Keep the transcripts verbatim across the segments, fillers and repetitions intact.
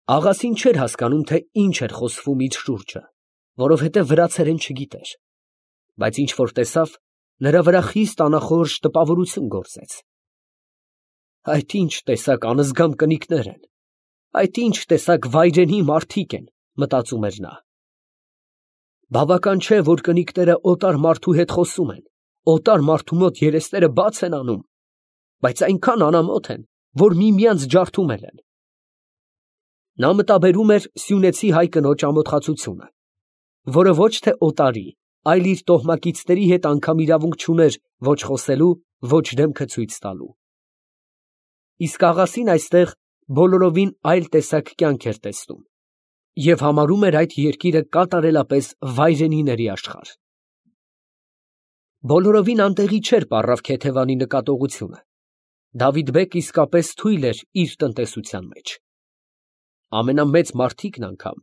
Աղասին չէր հասկանում, թե ինչ էր խոսվում իր շուրջը, որովհետև վրացերեն չգիտեր, բայց ինչ որ տեսավ, նրա վրա խիստ անախորժ տպավորություն գործեց։ Այդ ինչ տեսակ անզգամ կնիկներ են, այդ ինչ տեսակ վայրենի մարդիկ են, մտածում էր նա։ Բավական չէ, որ կնիկները օտար մարդու հետ խոսում են, օտար մարդու մոտ երեսները բաց են անում, բայց այնքան անամոթ են, որ միմյանց ջարդում են։ Նա մտաբերում էր սյունեցի հայ կնոջ ամոթխածությունը, որը ոչ թե օտարի, այլ իր տոհմակիցների հետ անգամ իրավունք չուներ ոչ խոսելու, ոչ դեմքը ցույց տալու։ Իսկ աղասին այստեղ բոլորովին այլ տեսակ կյանք էր տեսնում և համարում էր այդ երկիրը կատարելապես վայրենիների աշխարհ։ Բոլորովին անտեղի չէր պառավ Քեթևանի նկատողությունը։ Դավիթ֊բեգ իսկապես թույլ էր իր տնտեսության մեջ։ Ամենամեծ մարդիկն անգամ,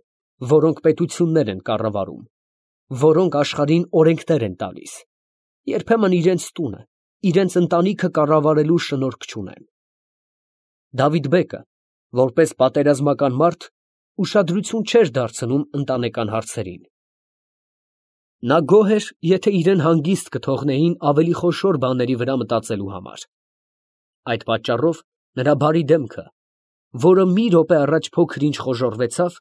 որոնք պետություններ են կառավարում, որոնք աշխարհին օրենքներ են տալիս, երբեմն իրենց տունը, իրենց ընտանիքը կառավարելու շնորհք չունեն։ Դավիթ֊բեգը, որպես պատերազմական մարդ, ուշադրություն չէր դարձնում ընտանեկան հարցերին։ Նա գոհ էր, եթե իրեն հանգիստ կթողնեին ավելի խոշոր բաների վրա մտածելու համար։ Այդ պատճառով նրա բարի դեմքը, որը մի րոպե առաջ փոքր-ինչ խոժոռվեցավ,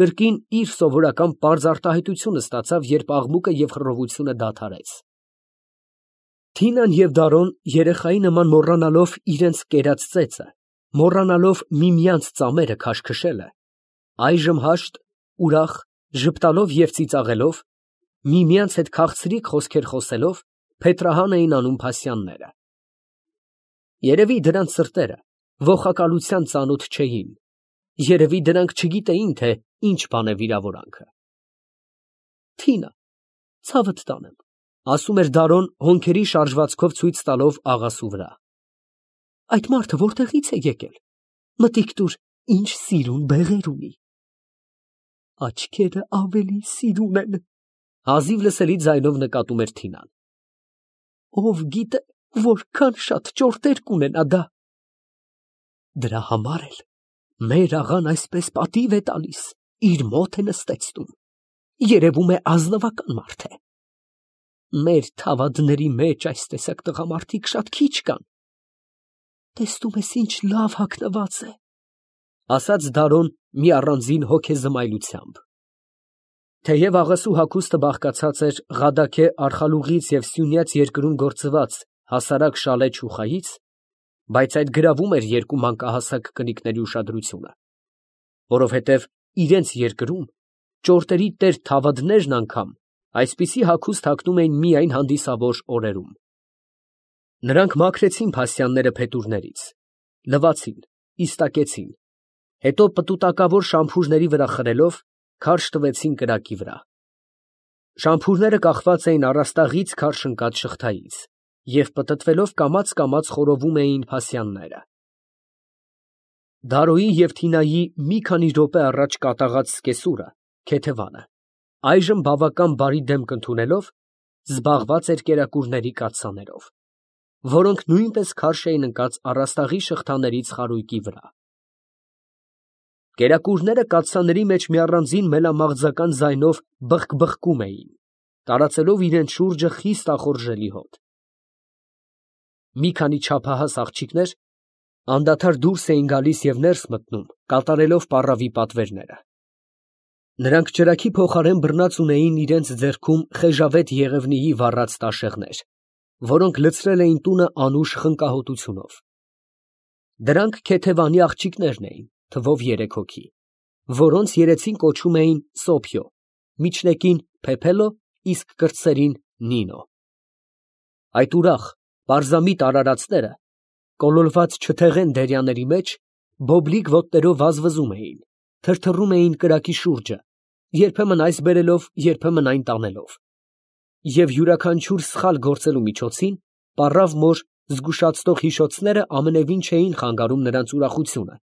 կրկին իր սովորական պարզ արտահայտությունը ստացավ, երբ աղմուկը և խռովությունը դադարեց։ Թինան և Դարոն երեխայի նման մոռանալով իրենց կերած ծեծը, մոռանալով միմյանց ծամերը քաշքշելը, այժմ հաշտ, ուրախ, ժպտալով և ծիծաղելով, միմյանց հետ քաղցրիկ խոսքեր խոսելով, փետրահան էին անում փասյանները։ Երևի դրանց սրտերը ոխակալության ծանոթ չէին, երևի դրանք չգիտեին, թե ինչ բան է վիրավորանքը։ Թինա, ցավդ տանեմ, ասում էր Դարոն հոնքերի շարժվածքով ցույց տալով աղասու վրա։ Այդ մարդը որտեղից է եկել, մտիկ տուր, ինչ սիրուն բեղեր ունի։ Աչքերը ավելի սիրուն են, հազիվ լսելի ձայնով նկատում էր Թինան։ Ով գիտե, որքան շատ ճորտեր կունենա դա։ Դրա համար էլ մեր աղան այսպես պատիվ է տալիս, իր մոտ է նստեցնում, երևում է ազնվական մարդ է։ Մեր թավադների մեջ այս տեսակ տղամարդիկ շատ քիչ կան։ Տեսնում ես ինչ լավ հագնված է, ասաց Դարոն մի առանձին հոգեզմայլությամբ։ Թեև աղասու հագուստը բաղկացած էր Ղադաքե արխալուղից և սյունյաց երկրում գործված հասարակ շալե չուխայից, բայց այդ գրավում էր երկու մանկահասակ կնիկների ուշադրությունը, որովհետև իրենց երկրում ճորտերի տեր թավադներն անգամ այսպիսի հագուստ հագնում էին միայն հանդիսավոր օրերում։ Նրանք մաքրեցին փասյանները փետուրներից, լվացին, իստակեցին, հետո պտուտակավոր շամփուրների վրա խրելով, քարշ տվեցին կրակի վրա։ Շամփուրները կախված էին առաստաղից քարշ ընկած շղթայից և պտտվելով կամաց֊կամաց խորովում էին փասյանները։ Դարոյի և Թինայի մի քանի րոպե առաջ կատաղած սկեսուրը, Քեթևանը, այժմ բավական բարի դեմք ընդունելով, զբաղված էր կերակուրների կաթսաներով, որոնք նույնպես քարշ էին ընկած առաստաղի շղթաներից խարույկի վրա։ Կերակուրները կաթսաների մեջ մի առանձին մելամաղձական ձայնով բխկբխկում էին, տարածելով իրենց շուրջը խիստ ախորժելի հոտ։ Մի քանի չափահաս աղջիկներ անդադար դուրս էին գալիս և ներս մտնում, կատարելով պառավի պատվերները։ Նրանք ճրագի փոխարեն բռնած ունեին իրենց ձեռքում խեժավետ Եղևնիի վառած տաշեղներ, որոնք լցրել էին տունը անուշ խնկահոտությունով։ Դրանք Քեթևանի աղջիկներն էին, թվով երեք հոգի, որոնց երեցին կոչում էին Սոփյո, միջնեկին Փեփելո, իսկ կրտսերին Նինո։ Այդ ուրախ, պարզամիտ արարածները, կոլորված չթեղեն դերյանների մեջ, բոբլիկ ոտներով վազվզում էին, թրթռում էին կրակի շուրջը, երբեմն այս բերելով, երբեմն այն տանելով, և յուրաքանչյուր սխալ գործելու միջոցին պառավ մոր զգուշացնող հիշոցները ամենևին չէին խանգարում նրանց ուրախությունը,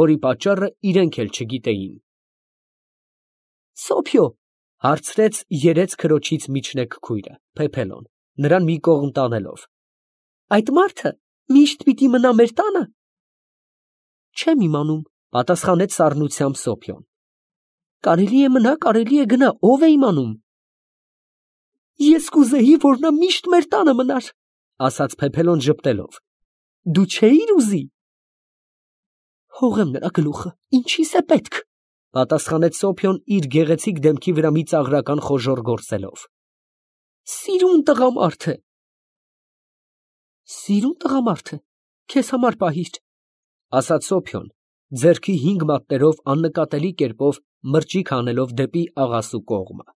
որի պատճառը իրենք էլ չգիտեին։ Սոփյո, հարցրեց երեց քրոջից միջնեկ քույրը, Փեփելոն, նրան մի կողմ տանելով, այդ մարդը միշտ պիտի մնա մեր տա՞նը։ Չեմ իմանում, Պատասխանեց սառնությամբ Սոփյոն։ Կարելի է մնա, կարելի է գնա, ով է իմանում։ Ես կուզեի, որ նա միշտ մեր տանը մնար, ասաց Փեփելոն ժպտելով։ Դու չէիր ուզի։ Հողեմ նրա գլուխը, ինչի՞ս է պետք, պատասխանեց Սոփյոն իր գեղեցիկ դեմքի վրա մի ծաղրական խոժոռ գործելով։ Սիրուն տղամարդ է։ Սիրուն տղամարդ է, քեզ համար պահիր, ասաց Սոփյոն, ձեռքի հինգ մատներով աննկատելի կերպով մրջիկ հանելով դեպի աղասու կողմը։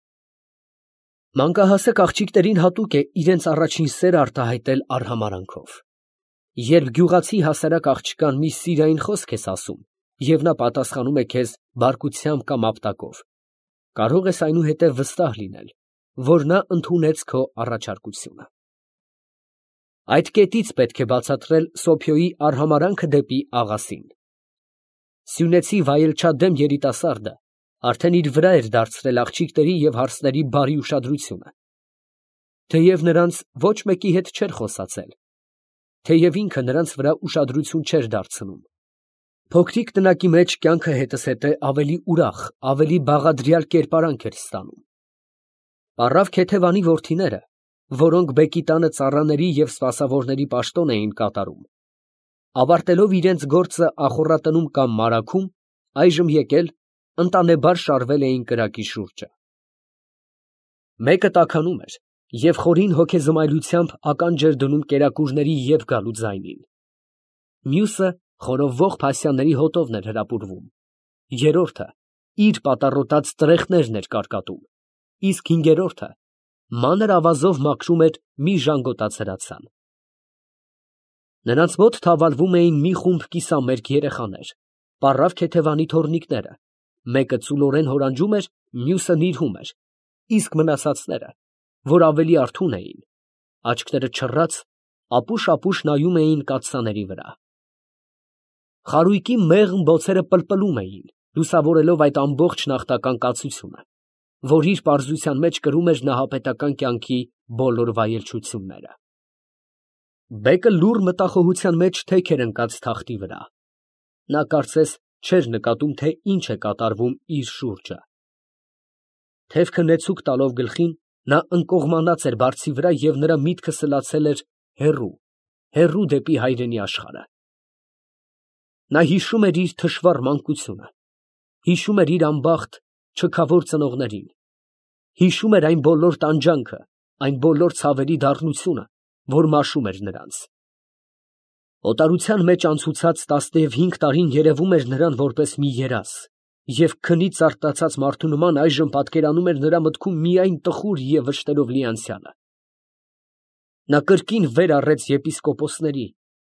Մանկահասակ աղջիկներին հատուկ է իրենց առաջին սերը արտահայտել արհամարանքով։ Երբ գյուղացի հասարակ աղջկան մի սիրային խոսք ես ասում, և նա պատասխանում է քեզ բարկությամբ կամ ապտակով, կարող ես այնուհետև վստահ լինել, որ նա ընդունեց քո առաջարկությունը։ Այդ կետից պետք է բացատրել Սոփյոյի արհամարանքը դեպի աղասին։ Սյունեցի վայելչադեմ երիտասարդը արդեն իր վրա էր դարձրել աղջիկների և հարսների բարի ուշադրությունը, թեև նրանց ոչ մեկի հետ չէր խոսացել, թեև ինքը նրանց վրա ուշադրություն չէր դարձնում։ Փոքրիկ տնակի մեջ կյանքը հետզհետե ավելի ուրախ, ավելի բաղադրյալ կերպարանք էր ստանում։ Պառավ Քեթևանի որդիները, որոնք բեկի տանը ծառաների և սպասավորների պաշտոն էին կատարում, ավարտելով իրենց գործը ախոռատնում կամ մարագում, այժմ եկել, ընտանեբար շարվել էին կրակի շուրջը։ Մեկը տաքանում էր և խորին հոգեզմայլությամբ ականջ էր դնում կերակուրների և գալու ձայնին։ Մյուսը խորովվող փասյանների հոտովն էր հրապուրվում, երրորդը իր պատառոտած տրեխներն էր կարկատում, իսկ հինգերորդը մանր ավազով մաքրում էր մի ժանգոտած հրացան։ Նրանց մոտ թավալվում էին մի խումբ կիսամերկ երեխաներ, պառավ Քեթևանի թոռնիկները, մեկը ծուլորեն հորանջում էր, մյուսը նիրհում էր, իսկ մնացածները, որ ավելի արթուն էին, աչքերը չռած, ապուշ֊ապուշ նայում էին կաթսաների վրա։ Խարույկի մեղմ բոցերը պլպլում էին, լուսավորելով այդ ամբողջ նախնական կացությունը, որ իր պարզության մեջ կրում էր նահապետական կյանքի բոլոր վայելչությունները։ Բեկը լուռ մտախոհության մեջ թեք էր ընկած թախտի վրա։ Նա կարծես չէր նկատում, թե ինչ է կատարվում իր շուրջը։ Թևքը նեցուկ տալով գլխին, նա ընկողմանած էր բարձի վրա և նրա միտքը սլացել էր հեռու, հեռու դեպի հայրենի աշխարհը։ Նա հիշում էր իր թշվառ մանկությունը, հիշում էր իր անբախտ, չքավոր ծնողներին, հիշում էր այն բոլոր տանջանքը, այն բոլոր ցավերի դառնությունը, որ մաշում էր նրանց։ Օտարության մեջ անցուցած տասնհինգ տարին երևում էր նրան որպես մի երազ, և քնից արտացած մարդու նման այժմ պատկերանում էր նրա մտքում միայն տխուր և վշտերով լի անցյալը։ Նա կրկին վեր առեց եպիսկոպոսների,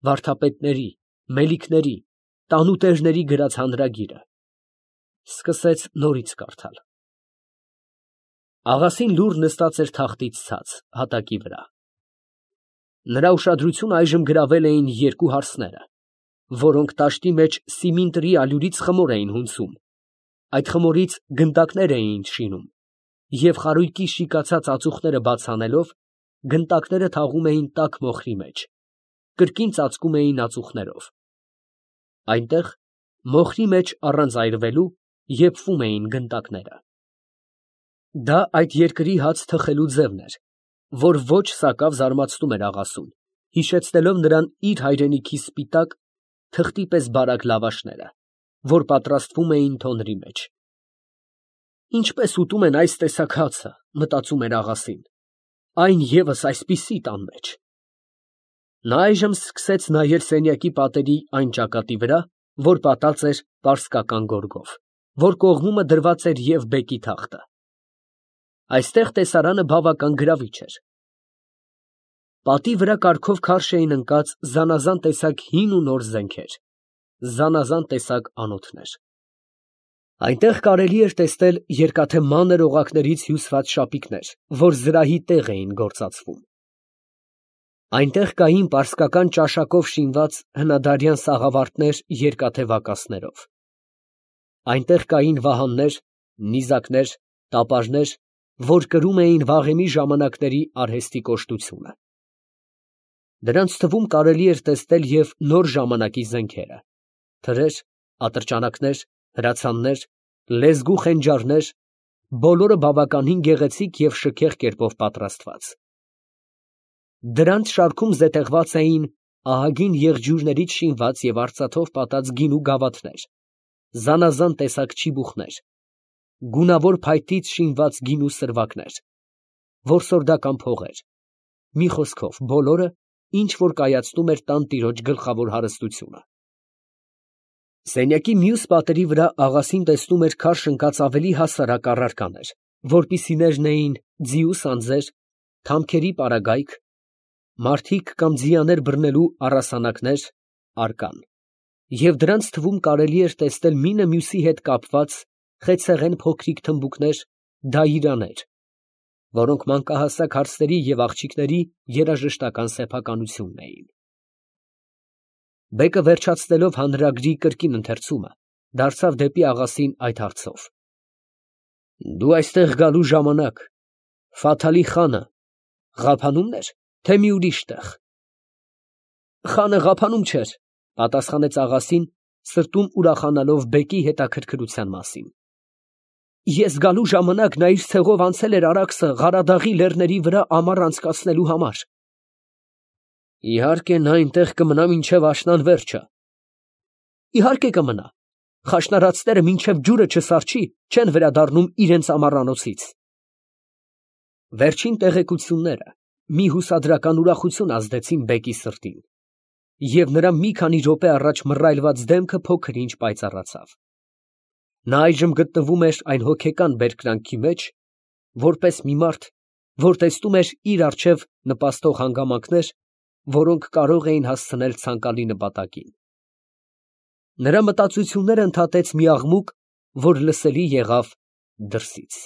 վարդապետների, մելիքների, տանուտերների գրած հանրագիրը, սկսեց նորից կարդալ։ Աղասին լուռ նստած էր թախտից ցած, հատակի վրա։ Նրա ուշադրությունը այժմ գրավել էին երկու հարսները, որոնք տաշտի մեջ սիմինտրի ալյուրից խմոր էին հունցում, այդ խմորից գնդակներ էին շինում, և խարույկի շիկացած ածուխները բաց անելով, գնդակները թաղում էին տաք մոխրի մեջ, կրկին ծածկում էին ածուխներով։ Այնտեղ, մոխրի մեջ առանց այրվելու, եփվում էին գնդակները։ Դա այդ երկրի հաց թխելու ձևն էր, որ ոչ սակավ զարմացնում էր աղասուն, հիշեցնելով նրան իր հայրենիքի սպիտակ, թղթի պես բարակ լավաշները, որ պատրաստվում էին թոնրի մեջ։ Ինչպես ուտում են այս տեսակ հացը, մտածում էր աղասին, այն ևս այսպիսի տան մեջ։ Նա այժմ սկսեց նայել սենյակի պատերի այն ճակատի վրա, որ պատած էր պարսկական գորգով, որ կողմումը դրված էր և բեկի թախտը։ Այստեղ տեսարանը բավական գրավիչ էր։ Պատի վրա կարգով քարշ էին ընկած զանազան տեսակ հին ու նոր զենքեր, զանազան տեսակ անոթներ։ Այնտեղ կարելի էր տեսնել երկաթե մանր օղակներից հյուսված շապիկներ, որ զրահի տեղ էին գործածվում։ Այնտեղ կային պարսկական ճաշակով շինված հնադարյան սաղավարտներ երկաթե վակասներով։ Այնտեղ կային վահաններ, նիզակներ, տապարներ, որ կրում էին վաղեմի ժամանակների արհեստի կոշտությունը։ Դրանց թվում կարելի էր տեսնել և նոր ժամանակի զենքերը, թրեր, ատրճանակներ, հրացաններ, լեզգու խենջարներ, բոլորը բավականին գեղեցիկ և շքեղ կերպով պատրաստված։ Դրանց շարքում զետեղված էին ահագին եղջյուրներից շինված և արծաթով պատած գինու գավաթներ, զանազան տեսակ չիբուխներ, գունավոր փայտից շինված գինու սրվակներ, որսորդական փողեր, մի խոսքով, բոլորը, ինչ որ կայացնում էր տան տիրոջ գլխավոր հարստությունը։ Սենյակի մյուս պատերի վրա աղասին տեսնում էր քարշ ընկած ավելի հասարակ առարկաներ, որպիսիներն էին ձիու սանձեր, թամքերի պարագայք, մարդիկ կամ ձիաներ բռնելու առասանակներ, արկան, և դրանց թվում կարելի էր տեսնել մինը մյուսի հետ կապված խեցեղեն փոքրիկ թմբուկներ, դայիրաներ, որոնք մանկահասակ հարցերի և աղջիկների երաժշտական սեփականությունն էին։ Բեկը վերջացնելով հանրագրի կրկին ընթերցումը, դարձավ դեպի աղասին այդ հարցով. Դու այստեղ գալու ժամանակ Ֆաթալի խանը ղափանո՞ւմն էր, թե մի ուրիշ տեղ։ Խանը ղափանում չէր, պատասխանեց աղասին, սրտում ուրախանալով բեկի հետաքրքրության մասին։ Ես գալու ժամանակ նա իր ցեղով անցել էր Արաքսը Ղարադաղի լեռների վրա ամառ անցկացնելու համար։ Իհարկե նա այնտեղ կմնա մինչև աշնան վերջը։ Իհարկե կմնա։ Խաշնարածները մինչև ջուրը չսառչի, չեն վերադառնում իրենց ամառանոցից։ Վերջին տեղեկությունները մի հուսադրական ուրախություն ազդեցին բեկի սրտին, և նրա մի քանի րոպե առաջ մռայլված դեմքը փոքր ինչ պայծառացավ։ Նա այժմ գտնվում էր այն հոգեկան բերկրանքի մեջ, որպես մի մարդ, որ տեսնում էր իր առջև նպաստող հանգամանքներ, որոնք կարող էին հասցնել ցանկալի նպատակին։ Նրա մտածությունները ընդհատեց մի աղմուկ, որ լսելի եղավ դրսից։